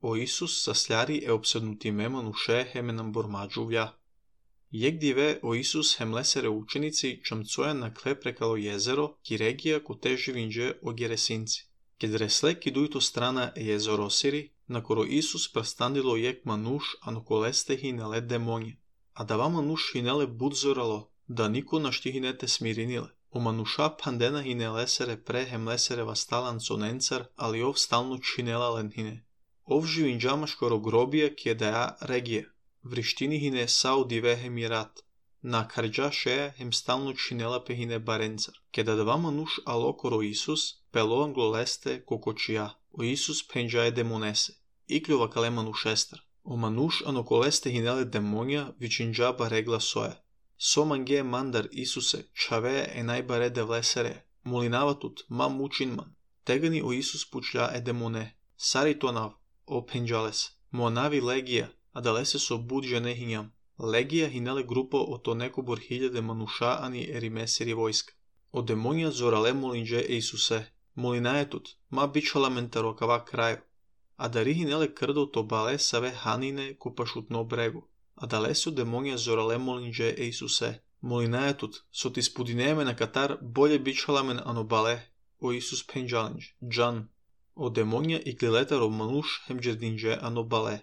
O Isus sasляри eopsednutime manushe hemenam bormadžuvlja. Jegdive o Isus hem lesere učenici čamcoja na kle prekalo jezero Kiregija koteži vinđe o Geresinci. Ked resle kiduito strana jezorosiri, na koro Isus prastandilo jek manuš anokoleste hinele demonje. A da va manuš hinele budzoralo, da niko našti hinete smirinile. O manuša pandena hinelesere pre hem lesere vastalan sonencar, ali ov stalno činela lenhine. Ov živinđamaš koro grobija kjedaja regije. Vrištini hine sao divehe mirat. Na karđa šeja hem stalno činela pe hine barencar. Keda dva manuš alo koro Isus, pelo angloleste kokočija. O Isus penđaje demonese. Ikljova kale manuš estar. O manuš anokoleste hinele demonja vičinđaba regla soja. So mange mandar Isuse, čave e najbare devlesere. Molinavatut, ma mučinman. Tegani o Isus pučlja e demone. Sari to nav, o penđales. Monavi legija. A dalese so budže nehinjam. Legija hinele grupo o to neko bor hiljade manuša ani erimesiri vojska. O demonja zorale molinđe Isuse. Molinajetut, ma bičala mentarokava kraju. A dari hinele krdo to bale save hanine kupašutno bregu. A dalesu demonja zorale molinđe Isuse. Molinajetut, so ti spudineme na katar bolje bičala men ano bale. O Isus penđalinđ, džan. O demonja i kliletarov manuš hem džerdinđe ano bale.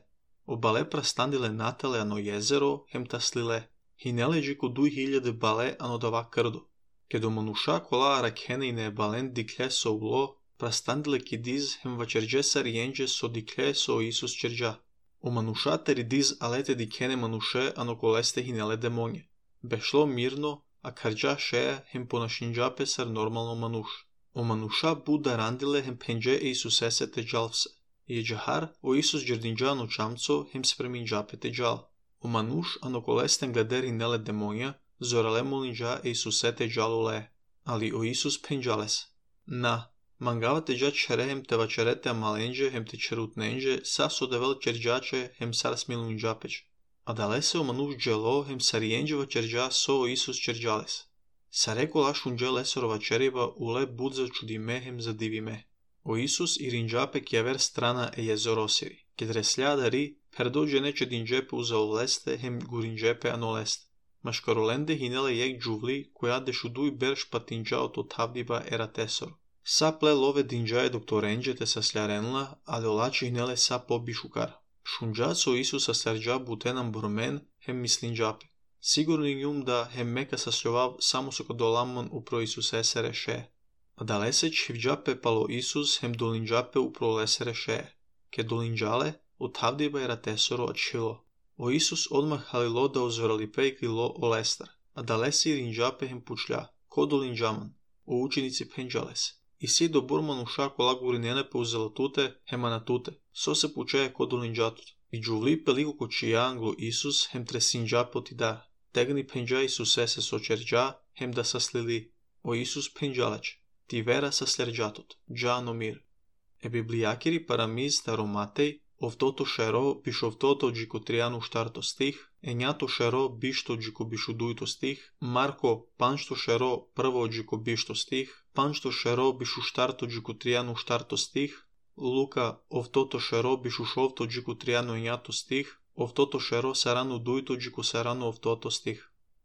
O bale prastandile natale ano jezero hem taslile. Hinele džiku 2000 bale ano dava krdo. Kedo manuša kola rakhene ine balen diklje so ulo, prastandile kidiz hem vačerđe sarijenđe so diklje so Isus čerđa. O manuša teridiz alete dikene manuše ano koleste hinele demonje. Bešlo mirno, a karđa šeja hem ponašinđape sar normalno manuš. O manuša buda randile hem penđe Isusese te džalvse. Jeđahar o Isus džerdinđa ano čamco hem spreminđape te džal. O manuš ano kolesten glederi nele demonja, zorale molinđa Isuse te džalule. Ali o Isus penđales. Na, mangava te dža čerehem te vačerete malenđe hem te čerutnenđe, sa so devel čerđače hem sar smilunđapeć. A dalese o manuš dželo hem sarijenđe vačerđa so o Isus čerđales. Sareko lašunđe lesorova čeriva ule budza čudime hem zadivime. O Isus i rinđape kjever strana e jezorosiri. Ked resljadari, perdođe neće dinđepe uzaoleste hem gurinđepe anoleste. Maškarolende hinele jek džuvli, koja dešuduj berš patinđao to tavdiba eratesor. Sa ple love dinđaje doktorenđe te sasljarenla, a dolači hinele sa pobišukar. Šunđac o Isus saslarđa butenam bormen hem mislinđape. Sigurni njum da hem meka sasljovav samo so kodolamon upro Isus esere še. A dalese čivđape palo Isus hem dolinđape upro lesere še. Ke dolinđale, otavdiba eratesoro očilo. O Isus odmah halilo da ozoralipe i krilo o lestar. A dalese i rinđape hem pučlja, ko dolinđaman. O učenici penđales. I si do bormanuša kola gurinene pe uzelatute hemanatute. So se pučeje ko dolinđatut. I džuvli peliko kočija anglo Isus hem tresinđape otidar. Tegni penđa Isuse se sočerđa hem da saslili. O Isus penđaleć. Ti vera saslerđatot. Džano mir. E biblijakiri paramiz taromatej, ovtoto šero bišovtoto džikotrianu štarto stih, enjato šero bišto džiko bišudujto stih, Marko panšto šero prvo džiko bišto stih, panšto šero bišu štarto džikotrianu štarto stih, Luka ovtoto šero bišušovto džikotrianu enjato stih, ovtoto šero sarano dujto džiko sarano ovtoto stih.